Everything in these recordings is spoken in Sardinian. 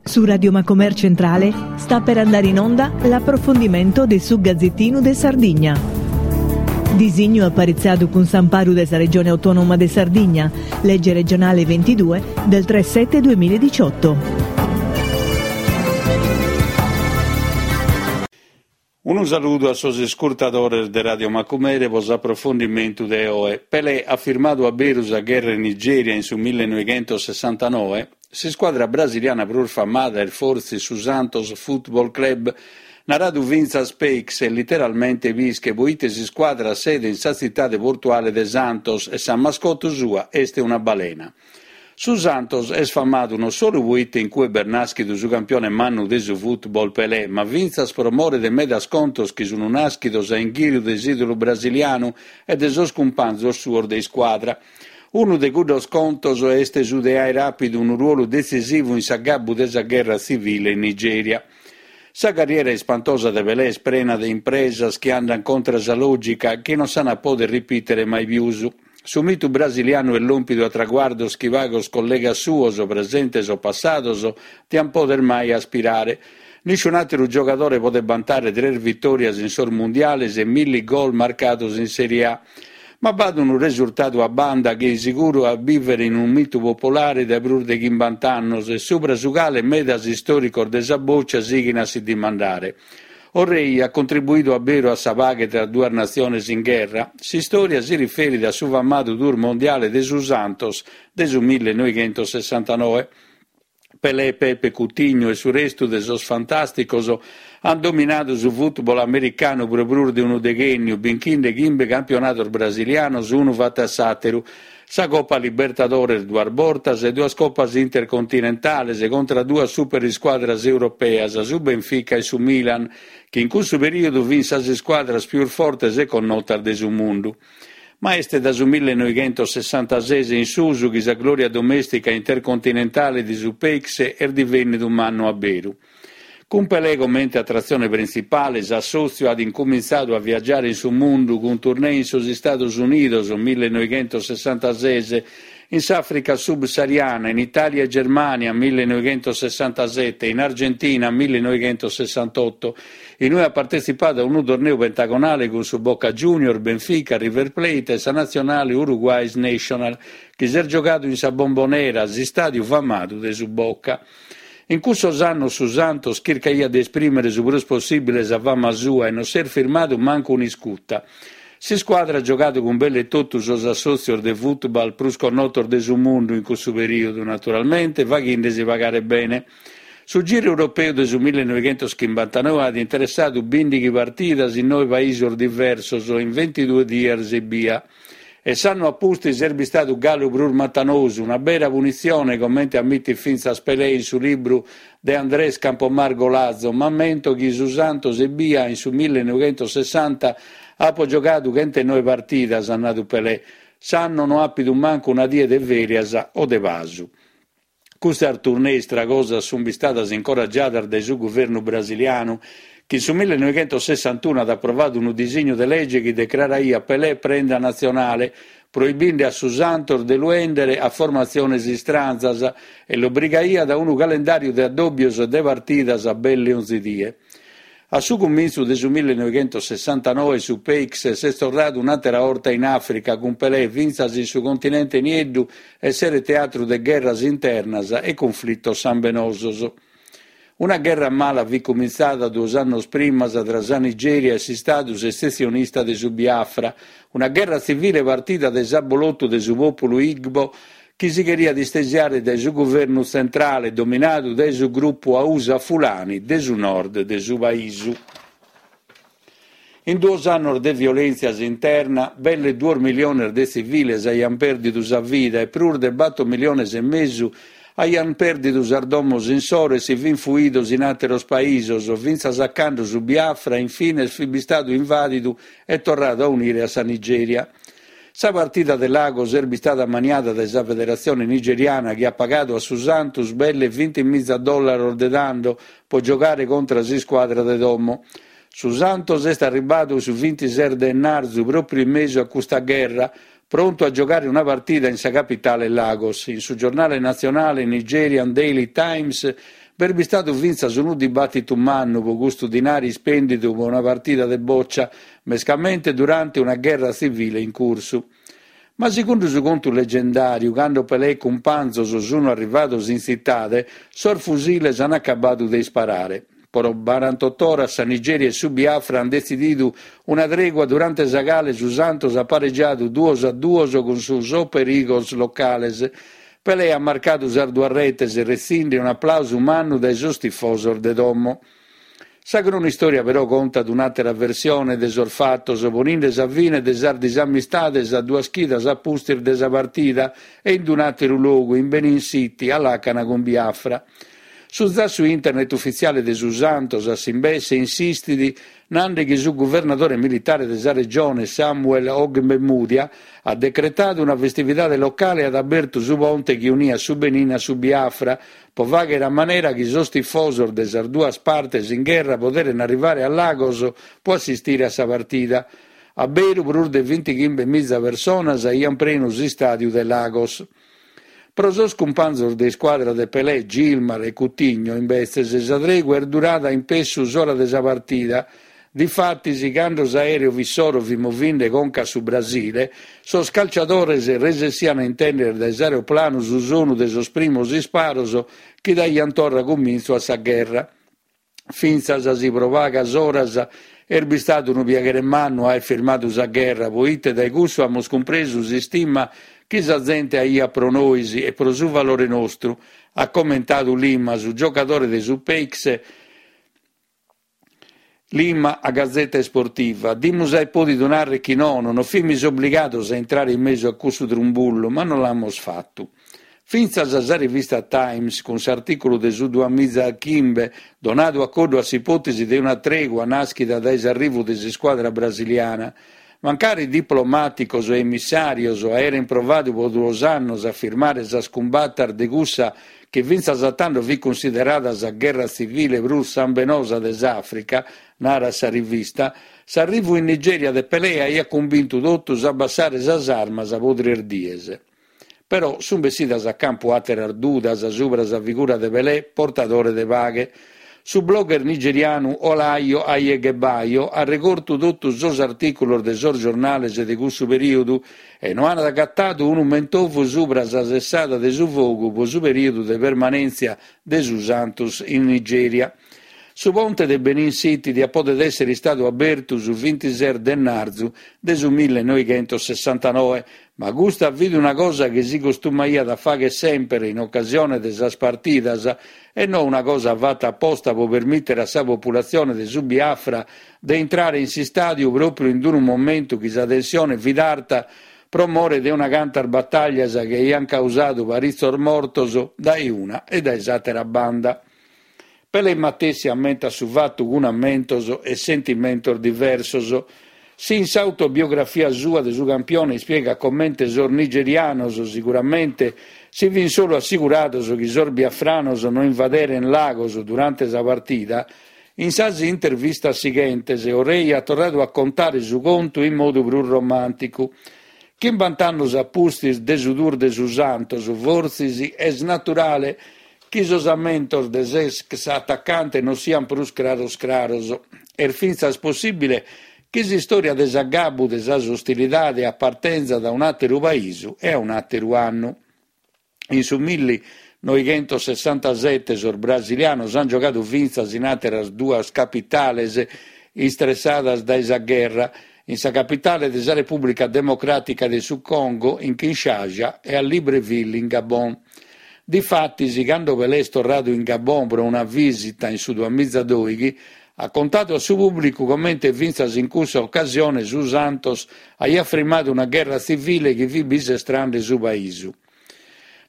Su Radio Macomer Centrale sta per andare in onda l'approfondimento de su Gazzettinu de Sardigna. Disignu aparitzadu cun s'amparu de sa Regione Autonoma de Sardigna, Legge regionale 22 del 3 7 2018. Unu saludu a sos iscurtadores de Radio Macumere pro s'aprofondimentu de oe. Pelé at firmadu a beru sa gherra in Nigèria in su millenoighentosessantanoe? S'iscuadra brasiliana prus famada est fortzis su Santos Football Club, naradu fintzas Peixe, literalmente pische, poite s'iscuadra at sede in sa tzitade portuale de Santos e sa mascotte sua est una balena. Su Santos est famadu non solu poite in cue b'est nàschidu su campione mannu de su football Pelé, ma fintzas pro more de medas contos chi sunt nàschidos a inghìriu de s'ìdolu brasilianu e de sos cumpanzos suos de iscuadra. Unu de cuddos contos est su de àere àpidu unu ruolu detzisivu in s'agabbu de sa gherra tzivile in Nigèria. Sa carriera ispantosa de Pelé est prena de impresas chi andant contra sa lògica chi non s'ant a pòdere ripìtere mai pius. Su mitu brasilianu est lòmpidu a traguardos chi pagos collegas suos, presentes o passados, diant pòdere mai aspirare. Nisciun'àteru giogadore podet bantare tres vitòrias in sos mundiales e milli gol marcados in Sèrie A. Ma b'at unu resurtadu a banda chi sighit a bìvere in unu mitu populare dae prus de chimbant'annos e subra su cale medas istòricos de sa bòcia sighint a si dimandare. O Rei at contribuidu a beru a sa paghe tra duas natziones in gherra? S'istòria si riferit a su famadu tour mondiale de su Santos de su millenoighentosessantanoe. Pelé, Pepe, Coutinho e su restu de sos fantàsticos ant dominadu su fùtbol americanu pro prus de unu deghènniu, binchinde chimbe campionados brasilianos unu fatu a s'àteru, Sa Copa Libertadores duas bortas e duas Copas Intercontinentales contra duas superiscuadras europeas, su Benfica e su Milan, chi in cussu perìodu fin sas iscuadras pius fortes e connotas de su mundu. Ma est da su millenoighentosessantases in susu chi sa glòria domèstica intercontinentale de su Peixe est divènnidu mannu a beru. Cun Pelé comente atratzione printzipale, s'assòtziu at incumintzadu a viagiare in su mundu cun tournée in sos Istados Unidos, millenoighentosessantases, in s'Àfrica subsahariana, in Itàlia e Germània, millenoighentosessantasete, in Argentina, millenoighentosessantotto, in ue at partetzipadu a unu torneu pentagonale cun su Boca Juniors, Benfica, River Plate e sa natzionale Uruguay's Nacional, chi s'est giogadu in sa Bombonera, s'istàdiu famadu de su Boca. In cussos annos su Santos chircaiat de esprìmere su prus possìbile sa fama sua e non s'est firmadu mancu un'iscuta. S'iscuadra at giogadu cun belle totu sos assòtzios de fùtbal prus connotos de su mundu in cussu perìodu, naturalmente faghende-si pagare bene. Su giru europeu de su millenoighentoschimbantanoe at interessadu bìndighi partidas in noe paisos diversos in ventidue dies ebbia. E s'annu a pustis est bistadu galu prus matanosu, una bera punitzione, comente ammitit fintzas Pelé in su libru de Andrés Campomar Golazo, M'ammento chi su Santos ebbia in su millenoighentosessanta apo giogadu chentenoe partidas, at nadu Pelé. S'annu no àpidu mancu una die de fèrias o de pasu. Custas tournée istragosas sunt bistadas incoragiadas dae su guvernu brasilianu, chi in su millenoighentosessantunu at aprovadu unu disignu de lege chi decraraiat Pelé prenda natzionale, proibinde a su Santos de lu 'èndere a formatziones istranzas e l'obrigaiat a unu calendàriu de addòbios e de partidas belle onzi die. A su cumintzu de su millenoighentosessantanoe su Peixe s'est torradu un'àtera 'orta in Àfrica cun Pelé fintzas in su continente nieddu esseret teatru de gherras internas e cunflitos sambenosos. Una gherra mala fit cumintzada duos annos primas tra sa Nigèria e s'istadu sessessionista de su Biafra, una gherra tzivile partida dae s'abolotu de su pòpulu Igbo chi si cheriat istesiare dae su guvernu tzentrale dominadu dae su grupu Hausa Fulani de su nord de su paisu. In duos annos de violèntzias interna, belle duos miliones de tziviles aiant pèrdidu sa vida e prus de bator miliones e mesu aiant pèrdidu sas domos insoro e si fint fuidos in àteros paisos, fintzas a cando su Biafra in fines fit bistadu invàdidu e torradu a unire a sa Nigèria. Sa partida de Lagos est bistada ammaniada dae sa federatzione nigeriana chi at pagadu a su Santos belle vintimiza dòllaros de tando pro giogare contra s'iscuadra de domo. Su Santos est arribbadu su vintises de ennarzu pròpriu in mesu a custa gherra, prontu a giogare una partida in sa capitale Lagos. In su giornale natzionale Nigerian Daily Times. B'est bistadu fintzas unu dibàtitu mannu pro custu dinari ispèndidu pro una partida de bòcia, mescamente durante una gherra tzivile in cursu. Ma segundu su contu legendàriu, cando Pelé e cumpanzos sunu arrivados in tzitade, sos fusiles an acabadu de isparare. Pro barantot'oras sa Nigèria e su Biafra an detzìdidu una tregua durante sa cale su Santos at paregiadu duos a duos cun su Super Eagles locales. Pelé at marcadu sas duas retes, retzinde un'aplàusu mannu dae sos tifosos de domo. Sa cronistòria però contat un'àtera versione de sos fatos, poninde sa fine de sas disamistades a duas chidas a pustis de sa partida e in un'àteru logu, in Benin City, a làcana cun Biafra. Su zassu internet ufitziale de su Santos, a s'imbesse, insistit nande chi su guvernadore militare de sa regione, Samuel Ogbemudia, at decretadu una festividade locale e at abertu su ponte chi uniat su Benin a su Biafra, pro fàghere a manera chi sos tifosos de sas duas partes in gherra poderen arrivare a Lagos pro assistire a sa partida. A beru prus de bintighimbe miza personas aiant prenu s'istàdiu de Lagos. Pro sos cumpanzos de iscuadra de Pelé, Gilmar e Coutinho, imbetzes, sa tregua est durada in pessu s'ora de sa partida. Difatis, cando s'aèreu issoro fit movinde conca a su Brasile, sos calciadores resessian a intèndere dae s'aeroplanu su sonu de sos primos isparos chi daiant torra cumintzu a sa gherra. Fintzas si pro pagas oras est bistadu unu piaghere mannu aer firmadu sa gherra, poite dae cussu amus cumpresu s'istima chi sa zente aiat pro nois e pro su valore nostru, at commentadu Lima, su giocadore de su Peixe Lima a Gazzetta Esportiva. Dimus aer pòdidu narrer chi nono, non fimis obligados a intrare in mesu a cussu trumbullu, ma non l'amus fatu. Fintzas sa rivista Times, cun s'artìculu de su duamiza e chimbe, donadu a coddu a s'ipòtesi de una tregua nàschida dae s'arrivu de s'iscuadra brasiliana, mancari diplomàticos e emissàrios aerent provadu pro duos annos a firmare sas cumbatas de cussa chi fintzas a tando fit cunsiderada sa gherra tzivile prus sambenosa de s'Àfrica, narat sa rivista, s'arrivu in Nigèria de Pelé aiat cumbintu totus a abbassare sas armas pro tres dies. Però sunt bessidas a campu àteras dudas subra sa figura de Pelé portadore de paghe. Su blogger nigerianu Olayo Ayegebayo at regortu totu sos artìculos de sos giornales de cussu perìodu e no at agatadu unu mentovu subra sa sessada de su fogu pro su perìodu de permanèntzia de su Santos in Nigèria. Su ponte de Benin City diat podet èssere istadu abertu su bintises de martzu de su millenoighentosessantanoe, Ma custa fit una cosa chi si costumaiat a fagher semper in ocasione de sas partidas e no una cosa fata aposta pro permìtere a sa populatzione de su Biafra de intrare in s'istàdiu pròpriu in unu momentu chi sa tensione fit arta pro more de una cantas batàllias chi aiant causadu paritzos mortos dae una e dae s'àtera banda. Pelé matessi ammentat su fatu cun ammentos e sentimentos diversos. Si in s'autobiografia sua de su campione ispiegat comente sos nigerianos siguramente si fin solu assigurados chi sos biafranos no invaderen Lagos durante sa partida, in sas intervistas sighentes O Rei at torradu a contare su contu in modu prus romànticu. Chimbant'annos a pustis de su tour de su Santos, fortzis est naturale Chi sos ammentos de s'ex atacante non siant prus craros craros. Est fintzas possìbile chi s'istòria de s'agabbu de sas ostilidade apartenzat a un'àteru paisu e a un'àteru annu. In su millinoighentosessantasete sos brasilianos ant giogadu fintzas in àteras duas capitales istressadas dae sa gherra, in sa capitale de sa Repùblica Democràtica de su Congo, in Kinshasa, e a Libreville, in Gabon. Difatis, cando Pelé est torradu in Gabon pro una vìsita in su duamizadoighi, at contadu a su pùblicu comente fintzas in cussa ocasione su Santos aiat frimmadu una gherra tzivile chi fit bisestrande su paisu.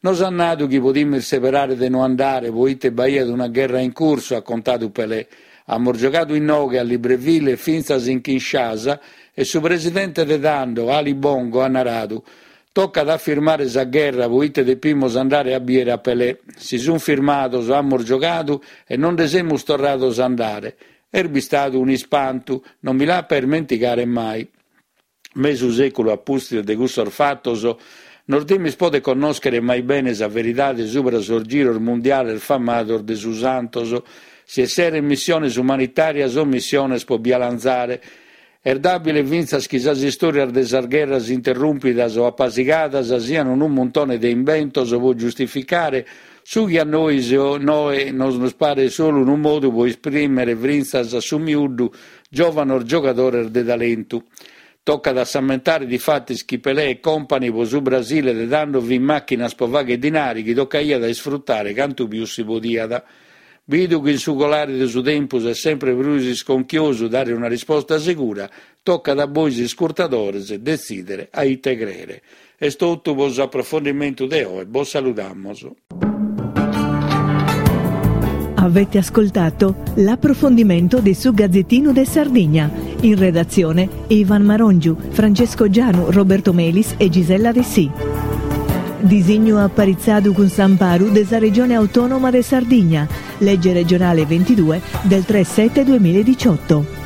Nos at nadu chi podimus seberare de no andare poite b'aiat una gherra in cursu, at contadu Pelé. Amus giogadu inoghe, a Libreville e fintzas in Kinshasa e su presidente de tando, Ali Bongo, at naradu, Tocat a firmare sa gherra poite depimus andare a bìere a Pelé. Si sunt firmados, amus giogadu e non nde semus torrados a andare. Est bistadu un'ispantu, non mi l'apo a ismentigare mai. Mesu sèculu a pustis de cussos fatos, Nos dimis poder connòschere mai bene sa veridade subra sos giros mundiales famados de su Santos, si esseren missiones umanitàrias o missiones pro bi 'alanzare. Est dàbile fintzas chi sas istòrias de sas gherras interrùmpidas o apasigadas sian unu muntone de imbentos pro giustificare su chi a nois oe nos paret solu unu modu pro isprìmere fintzas a su miuddu giòvanos giogadores de talentu. Tocat a s'ammentare difatis chi Pelé e company pro su Brasile de tando fin màchinas pro fagher dinari chi tocaiat a isfrutare cantu pius si podiat. Bidu chi in su colare de su tempus est sempre prus isconchiosu dare una risposta segura, tocat a bois iscurtadores detzìdere a ite crèere. Est totu pro s'aprofondimentu de oe, bos saludamos. Avete ascoltato l'approfondimento de su Gazzettino de Sardigna. In redazione Ivan Marongiu, Francesco Gianu, Roberto Melis e Gisella Dessì. Disignu aparitzadu cun s'amparu de sa Regione Autònoma de Sardigna, Legge regionale 22 del 3 7 2018.